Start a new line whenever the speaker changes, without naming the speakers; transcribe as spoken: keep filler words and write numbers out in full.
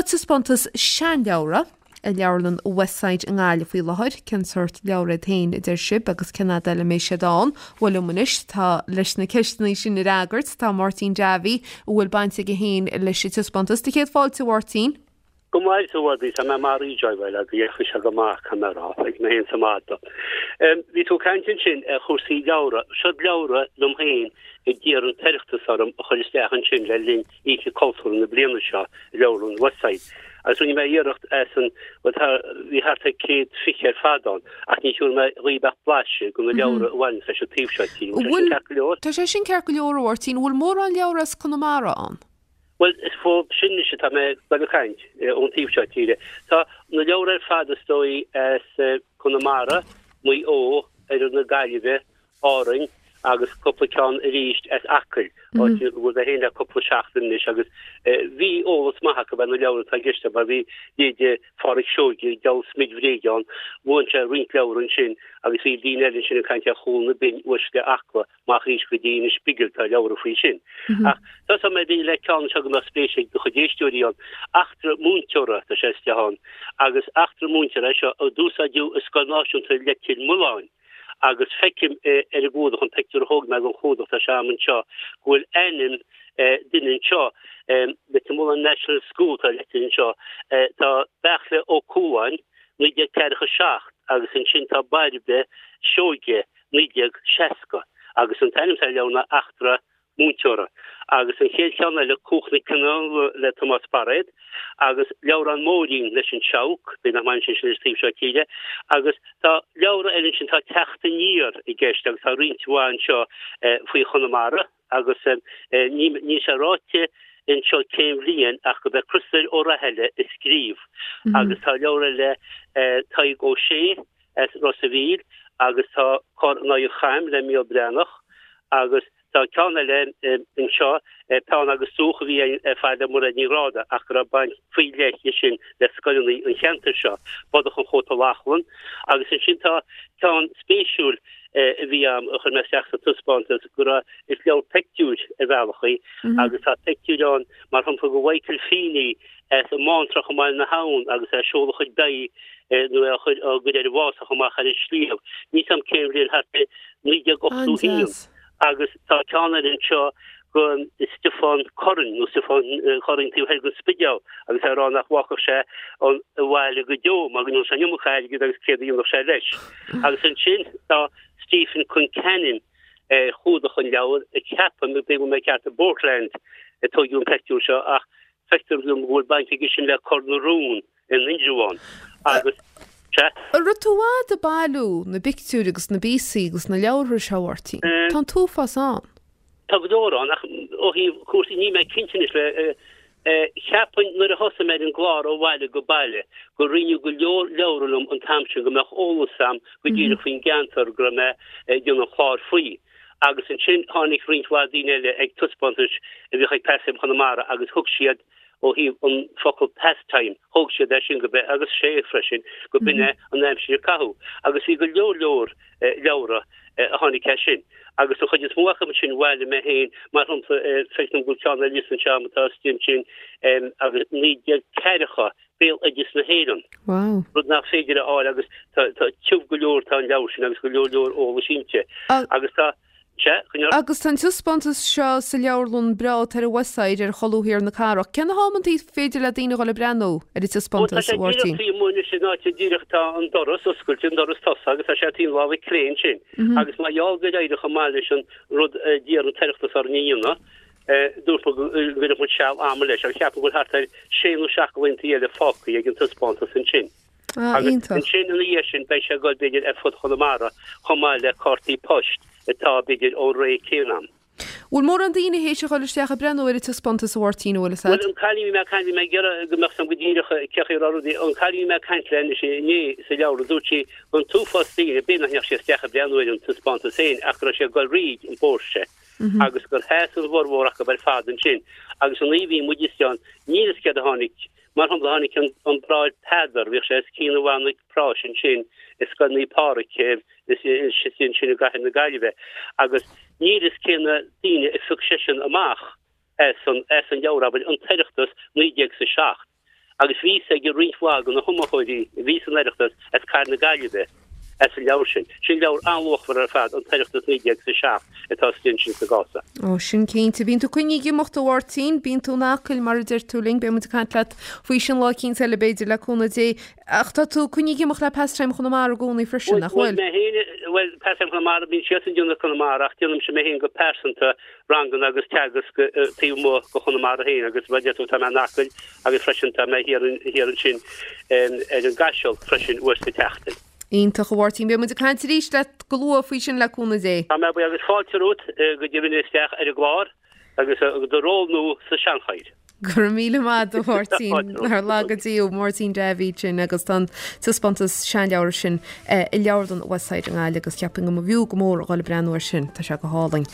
Tá taispeántas seanleabhra i leabharlann Westside i nGaillimh faoi láthair cén sórt leabhar iad féin a deir sibh agus cén fhad eile a mbeidh siad ann bhuel anois tá leis na ceisteanna sin a fhreagairt tá Máirtín Davy a bhfuil baint aige féin leis an taispeántas de chéad fáilte Mháirtín.
Go maith tú bhí mé mar joáil a dhécha se go maith camera ag mé héin samada. Bhí tú caint ansin ar chúrsaí leabhra, seo leabhra liom féin a d'iarr an tOireachtas orm a chur isteach ansin le linn Oíche Cultúr na bliana seo leabharlann Westside. Agus rinne mé iarracht as an bhí thart ar céad fiche ar fad ann ach ní thuair mé ribeach blaise go na leabhra a bhain leis an taobh seo
tí. Tá sé sin ceart go leor Mháirtín, bhfuil mórán leabhar as Conamara ann.
Well is fó sin is tá mé le caint ón taobh seo tíre. Tá na leabhra ar fad is dóigh as Conamara, Maigh Eo ar na Gaillimhe, Árainn agus cúpla ceann arís as Acaill bhfuil a héana cúpla seachtain anois agus bhí eolas maith acu na leabhra atá i gceist mar bhí léide Phádraic Seoige deal smid bhréige bhain sé roinnt leabhar ansin agus bhí daoine eile sin ag caint ar Chúil na Binne uaisle Acla amach arís go dtí na Spigel tá leabhra faoi sin. Ach tá mé bhí le ceann seo go spéis ag do chuid éisteoirí ann eachtra múinteora tá sé istigh ann agus eachtra múinteora seo a d'úsáideadh i Scoil Náisiúnta Leitir Mealláin agus feicim ar an gclúdach an pictiúr a thóg mé an clúdach tá sé anseo go bhfuil ainm duine anseo Leitir Mealláin National School tá leitir anseo tá Beachle Ó Cualáin naoi déag ceathracha seacht agus ansin tá Bairbe Seoige naoi déag seasca agus an t-ainm sa leabhar ná eachtra múinteora agus an chéad cheann eile Cuach na Cineál le Tomás Bairéad agus leabhrán Móirín leis an Seabhac bí nach main sin sin taobh seo tíre agus tá leabhra eile sin tá teacht aniar i gceist agus tá roinnt mhaith anseo faoi Chonamara agus ní ní sé ráite anseo cén bhliain ach go b'é Criostóir Ó Rathaille a scríobh agus tá leabhar eile Tadhg Ó Sé as Ros an Mhíl agus tá Cor an Oighir Chaim le Mícheál Breathnach agus tá ceann eile anseo peann agus dúch a bhí ar fad le Mairéad Ní Ghráda ach go raibh baint faoi leith sin le scoileanna an cheantair seo Bodach an Chóta Lachlann agus ansin tá ceann spéisiúil a bhí am a chur mé isteach sa taispeántas go raibh is leabhar pictiúr ar bhealach í agus tá pictiúr ann mar shampla go Michael Feeney as an mBántrach i mBaile na hAbhann agus é seoladh chuid beidh nó a chur á gcuid ar an bhfásach amach ar an sliabh ní sam cén bhliain thart naoi déag ochtó haon agus tá ceann eile anseo go Stiofán Curran nó Stiofán Curran taobh thoir den Spidéal agus é ag rá nach bhfágfadh sé an bhaile go deo mar go ndónn sé an iomarca airgid agus céard a dhéanfadh sé leis. Agus ansin tá Stephen Concannon ar chlúdach an leabhair a ceapaim go bhfuil mé ceart i Portland a tógadh an pictiúr seo ach feictear dom go bhfuil baint aige sin le Cor na Rún in Indreabhán agus
An raibh tú i bhfad ag bailiú na bpictiúr agus na bpíosaí agus na leabhartha seo Mháirtín. Tá an t-uafás ann.
Tá go leor ann ach ó thaobh cúrsaí ní mé cinnte anois le cheapfainn nuair a thosaigh mé ar an gclár ó bhaile go baile go roinneadh go leor leabhra liom an t-am sin go mbeadh eolas agam go díreach faoin gceantar go raibh mé ag déanamh an chláir faoi. Agus ansin tháinig roinnt mhaith daoine eile ag taispeántais a bhíodh ag Pastime Chonamara agus thug siad ó thaobh an focal pastime thóg siad é sin go be agus sé freisin go b'in é an aimsir a caitheadh agus bhí go leor leor leabhra a tháinig as sin. Agus an chuid is mó acu sin bhailigh mé féin mar shampla feicim go bhfuil ceann eile anseo atá istigh ansin agus naoi déag ceathracha béal oideas na hÉireann.
Wow.
Rud nach féidir a fháil agus tá tiubh go leor tá an leabhar sin agus go leor leor eolais inti. Agus tá
Agus tá an taispeántas seo sa leabharlann breá ar an Westside ar cholúr thiar na cathrach. Cén t-am is féidir le daoine dhul ag breathnú ar an taispeántas Mháirtín?
Tá sé sin díreach tá an doras oscailte an doras tosaigh agus tá sé taobh láimhe clé ansin. Agus mar gheall gur éirigh chomh maith leis an rud d'iarr an tOireachtas orainn a dhéanamh, dúirt go gcuirfeadh muid seal ama leis agus ceapaim go bhfuil thart ar sé nó seacht de laethanta eile fágtha ag an taispeántas ansin.
Ah,
Agus
iontach.
ansin ina dhiaidh sin beidh sé ag dul b'fhéidir ar fud Chonamara chomh maith le cártaí poist atá b'fhéidir ón ré céanna.
Bhfuil mórán daoine théis a dhul isteach ag breathnú ar an taispeántas a Mháirtín bhfuil
Bhuel an cailín bhí mé ag caint bhí mé ag iarraidh go mbeadh sam go díreach cé chaoi a raibh rudaí an cailín bhí mé ag caint le anois inné sa leabharlann dúirt sí an t-uafás daoine b'fhéidir nach ndeachaigh siad isteach ag breathnú ar an taispeántas féin ach go raibh sé ag dul fríd an bpóirse agus gur sheas an bhformhór acu ar fad ansin agus an oíche a bhí muid istigh ann níl fhios céard a tháinig Mar shampla tháinig an an Bráthair Peadar, bhíodh sé os cionn an bhanna práis ansin i Scoil Naomh Pádraig ansin i gcathair na Gaillimhe agus níl fhios cé na daoine a phioc seisean amach as an as an leabhar, abair, an tOireachtas naoi déag is a seacht. Agus bhí fhios ag roinnt mhaith de na hiomaitheoirí a bhí san Oireachtas as cathair na Gaillimhe as an leabhar sin. Sin leabhar an-luachmhar ar fad, an tOireachtas naoi déag is a seacht atá istigh ansin sa gcás.
Ó, sin cinnte. Bíonn tú coinnithe ag imeacht a Mháirtín, bíonn tú in Acaill mar a deir tú linn, beidh muid ag caint leat faoi sin lá eicínt eile b'fhéidir le cúnamh Dé. Ach tá tú coinnithe ag imeacht le Pastime Chonamara i gcónaí freisin, nach
bhfuil? Bhuel, mé féin, bhuel, Pastime Chonamara, bíonn siadsan ag déanamh Conamara ach déanaimse mé féin go pearsanta ranganna agus teagasc taobh amuigh de Chonamara féin agus mar a deir tú tá mé in Acaill agus freisin tá mé thiar ansin ar an gCaiseal freisin uair sa tseachtain.
Iontach a Mháirtín, beidh muid ag caint arís leat go luath faoi sin le cúnamh Dé.
Tá mé buí agus fáilte romhat go deimhin isteach ar an gclár agus do ról nua sa seanchathaoir.
Go raibh míle maith agat a Mháirtín nár laga Dia thú Máirtín Davitt sin agus tá an taispeántas seanleabhar sin i Leabharlann Westside i nGaillimh agus cheapfainn go mb'fhiú go mór a dhul ag breathnú air sin, tá sé go hálainn.